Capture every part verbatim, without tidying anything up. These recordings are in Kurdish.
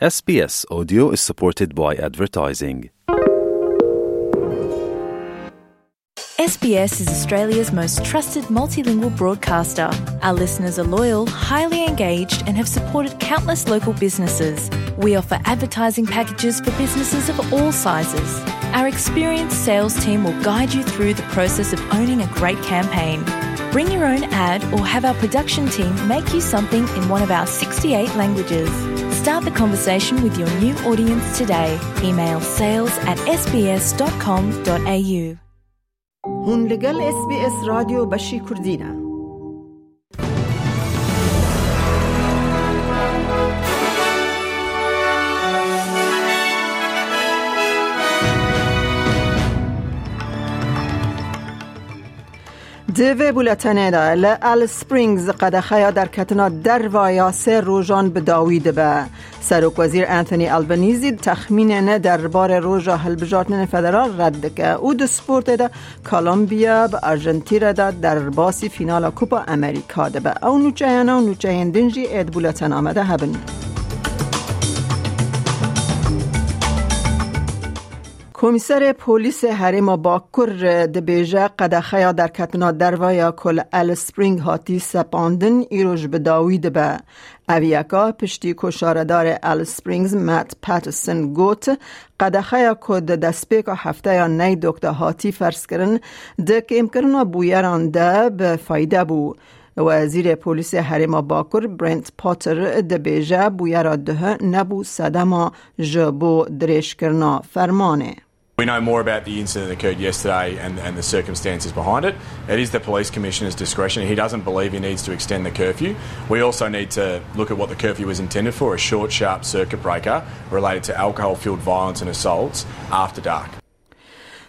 S B S Audio is supported by advertising. S B S is Australia's most trusted multilingual broadcaster. Our listeners are loyal, highly engaged, and have supported countless local businesses. We offer advertising packages for businesses of all sizes. Our experienced sales team will guide you through the process of owning a great campaign. Bring your own ad or have our production team make you something in one of our sixty-eight languages. Start the conversation with your new audience today. Email sales at S B S dot com dot A U. Hûn li gel S B S Radyo Beşî Kurdî ne. Di vê bûletenê de li Alice Springs qedexeya derketina derva ya sê rojan bi dawî dibe. Serokwezîr Anthony Albanese texmînên derbarê roja hilbijartinên federal red dike û di sportê de Kolombiya bi Arjantîna de derbasî fînala Kupa Amerîka dibe. Ew nûçeyane û nûçeyên din jî ê di bûletena me de hebin. Komîserê Polîsê Herêma Bakur dibêje, qedexeya derketina derve ya ku li Alice Spring hatî sepandin, îro ji bi dawî dibe. Ev yeka piştî ku şaredarê Alice Springs Matt Patterson got, qedexeya ku di destpêka hefteya Neydok de hatî ferzkirin, di kêmkirina bûyeran de bi fayde bû. Wezîrê Polîsê Herêma Bakur Brent Potter dibêje, bûyera duh nebû sedema ji bo dirêjkirina fermanê. We know more about the incident that occurred yesterday and, and the circumstances behind it. It is the police commissioner's discretion. He doesn't believe he needs to extend the curfew. We also need to look at what the curfew was intended for, a short, sharp circuit breaker related to alcohol-fuelled violence and assaults after dark.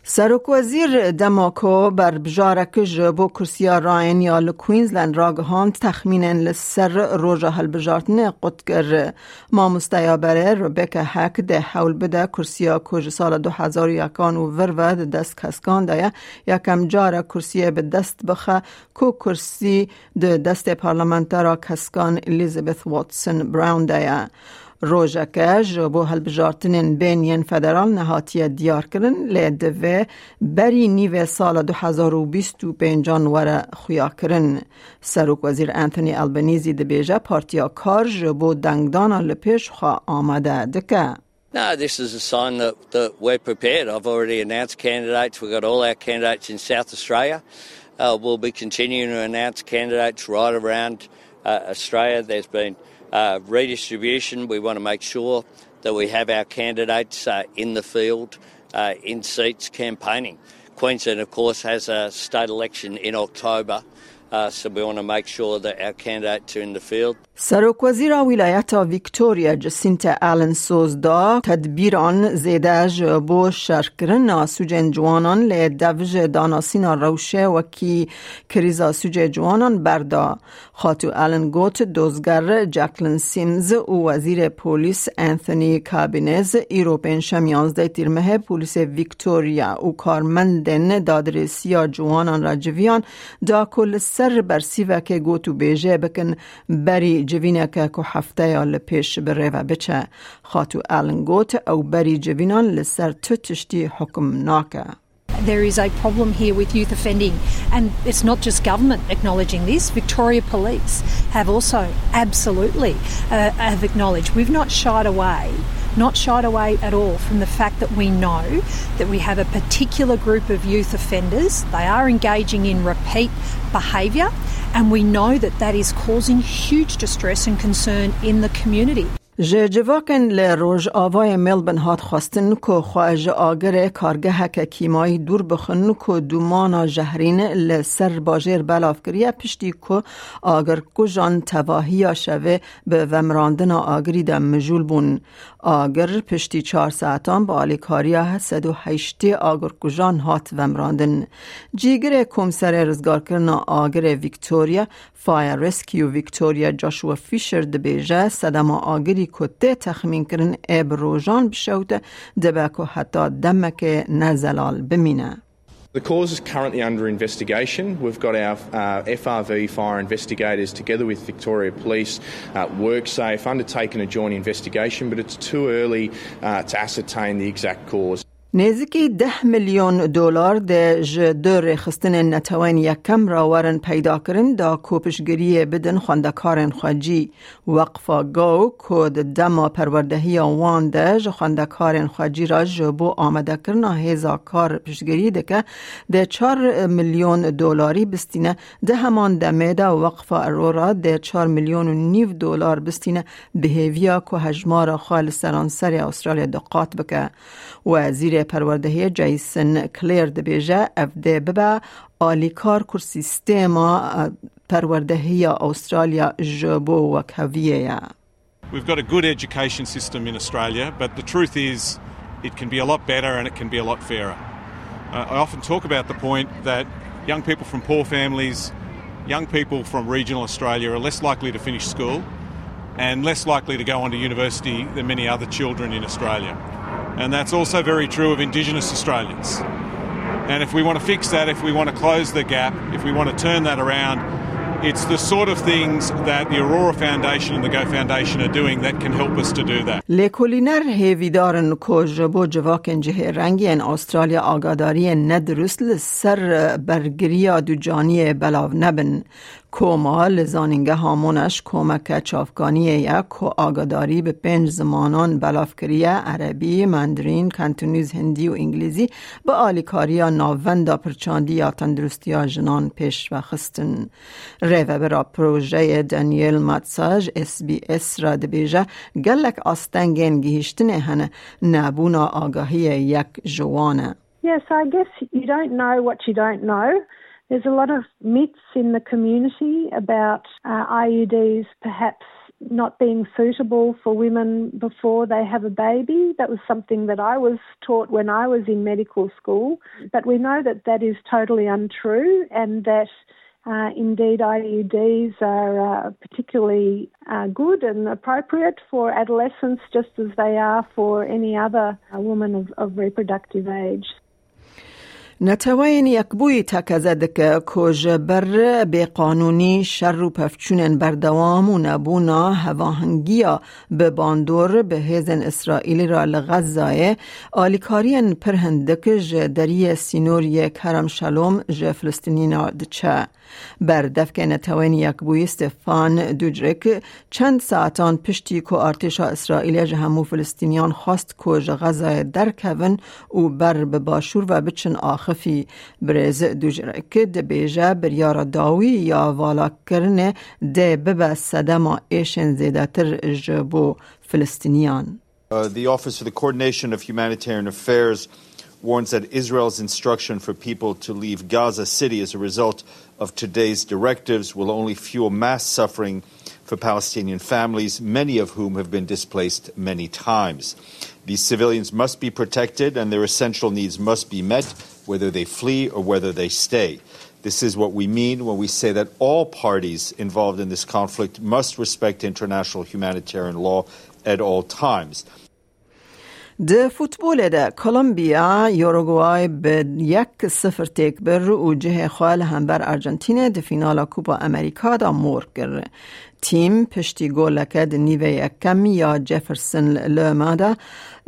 Serokwezîr dema ku berbijarek ji bo kursiya rayên ya li Queensland ragihand, texmînên li ser roja hilbijartinê qut kir. Mamosteya berê Rebecca Hack dê hewl bide kursiya ku ji sala du hezar û yekan û vir ve di dest keskan de ye, yekem car e kursiyê bi dest bixe ku kursî di destê parlamentera keskan Elizabeth Watson Brown de ye. Rojeke ji bo hilbijartinên bên yên federal nehatiye diyarkirin, lê divê berî nîvê sala du hezar û bîst û pêncan were xuyakirin. Serokwezîr Anthony Albanese dibêje, Partiya Kar ji bo dengdana li pêş xwe amade dike. No, this is a sign that, that we're prepared. I've already announced candidates. We've got all our candidates in South Australia. Uh, we'll be continuing to announce candidates right around, uh, Australia. There's been, uh, redistribution. We want to make sure that we have our candidates, uh, in the field, uh, in seats campaigning. Queensland, of course, has a state election in October, uh, so we want to make sure that our candidates are in the field. Serokwezîra Wîlayeta Victoria Jacinta Allen soz da tedbîran zêde ji bo şerkirina sûcên ciwanan, lê dev ji danasîna rewşê wekî krîza sûcê ciwanan berda. Xatû Allen got, dozger Jacqueline Sims û Wezîrê Polîs Anthony Cabines îro pêncşem yanzdeh Tîrmehê polîsê Victoria û karmendên dadrêsiya ciwanan re civiyan da ku li ser bersîvekê gotûbêjê bikin, berî civîneke ku hefteya li pêş bi rê ve biçe. Xatû Allen got, ew berî civînan li ser tu tiştî hukm nake. There is a problem here with youth offending, and it's not just government acknowledging this. Victoria Police have also absolutely, uh, have acknowledged. We've not shied away, not shied away at all from the fact that we know that we have a particular group of youth offenders. They are engaging in repeat behaviour, and we know that that is causing huge distress and concern in the community. Ji civakên li rojavayê Melbourne hat xwestin ku xwe ji agirê kargeheke kîmayî dûr bixin ku dûmana jehrîn li ser bajêr belav kiriye, piştî ku agirkujan tevahiya şevê bi vemirandina agirî de mijûl bûn. Agir piştî çar saetan bi alîkariya sed û heştê agirkujan hat vemirandin. Cîgirê Komserê Rizgarkirina Agirê Victoria, Fire Rescue Victoria Joshua Fisher dibêje, sedema agirî ku tê texmînkirin ê bi rojan bişewite, dibe ku heta demekê nezelal bimîne. The cause is currently under investigation. We've got our uh, F R V fire investigators, together with Victoria Police, uh, WorkSafe, undertaking a joint investigation, but it's too early uh, to ascertain the exact cause. Nêzikî deh milyon dolar de ji du rêxistinên Netewên Yekem re werin peyda kirin, da ku piştgiriyê bidin xwendekarên xwecî. Weqfa Go, ku di dema perwerdehiya wan de ji xwendekarên xwecî re ji bo amadekirina hêza kar piştgirî dike, dê çar milyon dolarî bistîne. Di heman demê de Weqfa Aurora dê çar milyon û nîv dolar bistîne, bi hêviya ku hejmara xwe li seranserê Australya du qat bike. Wezîrê Perwerdehiyê Jason Clare dibêje, ev dê bibe alîkar ku sîstema, e, perwerdehiya Australya ji bo wekheviyê ye. We've got a good education system in Australia, but the truth is it can be a lot better and it can be a lot fairer. Uh, I often talk about the point that young people from poor families, young people from regional Australia are less likely to finish school and less likely to go on to university than many other children in Australia. And that's also very true of Indigenous Australians. And if we want to fix that, if we want to close the gap, if we want to turn that around, it's the sort of things that the Aurora Foundation and the Go Foundation are doing that can help us to do that. Lêkolîner hêvîdar in ku ji bo civakên cihê rengî yên Australya agadariyên nedurust li ser bergiriya ducaniyê belav nebin. Koma li Zanîngeha Monash komeke çavkaniyê ye ku agadarî bi pênc zimanan belav kiriye, Erebî, Mandarîn, Kantonîz, Hindî û Îngilîzî, bi alîkariya Navenda Pirçandî ya Tenduristiya Jinan pêş ve xistin. Rêvebira projeyê Daniel Matsa ji S B S re dibêje, gelek astengên gihîştinê hene, nebûna agahiyê yek ji wan e. Yes, I guess you don't know what you don't know. There's a lot of myths in the community about uh, I U Ds perhaps not being suitable for women before they have a baby. That was something that I was taught when I was in medical school. But we know that that is totally untrue and that uh, indeed I U Ds are uh, particularly uh, good and appropriate for adolescents just as they are for any other uh, woman of, of reproductive age. Neteweyên Yekbûyî tekeze dike ku ji ber bêqanûnî, şer û pevçûnên berdewam û nebûna hevahengiya bi bandor bi hêzên Îsraîlî re li Xezzayê alîkariyên pir hindik ji deriyê sînor yê Kerem Şalom ji Filistînî re diçe. Berdevkê Netewên Yekbûyî Stefan Dujarric çend saetan piştî ku artêşa Îsraîlê ji hemû Filistîniyan xwest ku ji Xezayê derkevin û ber bi başûr ve biçin axifî, birêz Dujarric dibêje biryara dawî ya valakirinê dê bibe sedema êşên zêdetir ji bo Filistîniyan. Uh, the Office for the Coordination of Humanitarian Affairs warns that Israel's instruction for people to leave Gaza City as a result of today's directives will only fuel mass suffering for Palestinian families, many of whom have been displaced many times. These civilians must be protected and their essential needs must be met, whether they flee or whether they stay. This is what we mean when we say that all parties involved in this conflict must respect international humanitarian law at all times. Di futbolê de Kolombiya Uruguay bi yek sifir têk bir û cihê xwe li hember Argentînê di fînala Kupa Amerika de mor kir. Tîm piştî goleke di nîvê yekem ya Jefferson Lerma de,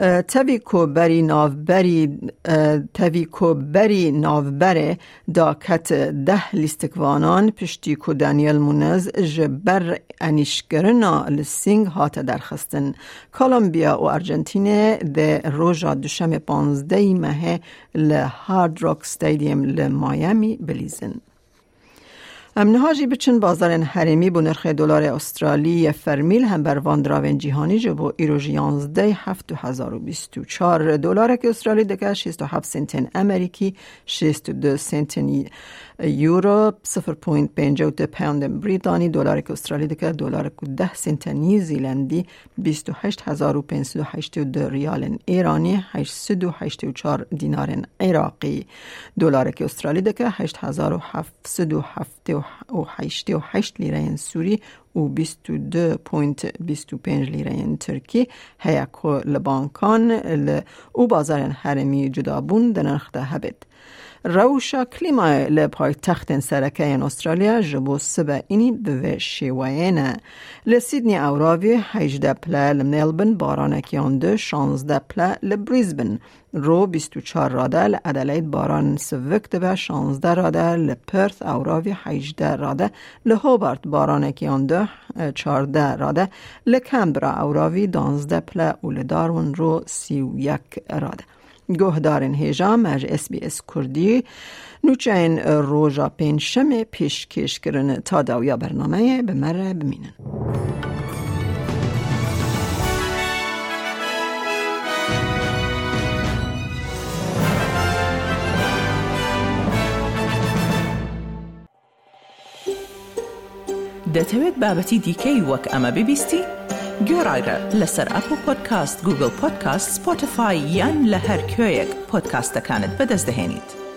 e, tevî ku berî navberî, e, tevî ku berî navberê da ket deh lîstikvanan piştî ku Daniel Munez ji ber enîşkirina li sîng hate derxistin. Kolombiya û Argentînê dê roja Duşemê panzdehê mehê li Hard Rock Stadium li Miami bilîzin. Em niha jî biçin bazarên herêmî bo nirxê dolarê Australî yê fermî li hember van diravên cîhanî ji bo îro ji yanzdeh heft du hezar û bîst û çar. Dolarek Australî dike şêst û heft sentên Amerîkî, şêst û du sentên Euro, sifir point pêncî û du poundên Brîtanî, dolarek Australî dike dolarek û deh sentên New Zealandî, bîst û heşt hezar û pênc sed û heştê û du riyalên Îranî, heşt sed û heştê û çar dînarên Iraqî. Dolarek Australî dike heşt hezar û heft sed û heftê û heştê û heşt lîreyên Sûrî û bîst û du point bîst û pênc lîreyên Tirkî heye ku li bankan li û bazarên herêmî cudabûn di nirx de hebêt. Rewşa klîmayê li paytextên sereke yên Australya ji bo sibe înî bi vê şêweyê ne. Li Sydney ewravî hejdeh pile, li Melbourne baranekî yan du, şazdeh pile, li Brisbane ro bîst û çar rade, li Adelaide baran sivik dibe, şazdeh rade, li Perth ewravî hejdeh rade, li Hobart baranekî yan du, çardeh rade, li Canberra ewravî danzdeh pile û li Darwin ro sî û yek rade. Guhdarên hêja me ji S B S Kurdî nûçeyên roja pêncşemê pêşkêş kirin. Ta dawiya bernameyê bi me re bimînin. دەتەوێت بابەتی دیکەی وەک ئەمە ببیستی؟ گوێڕایرە لەسەر ئەپڵ پۆدکاست، گوگڵ پۆدکاست، سپۆتیفای یان لە هەر کوێیەک پۆدکاستەکانت بەدەست دەهێنیت.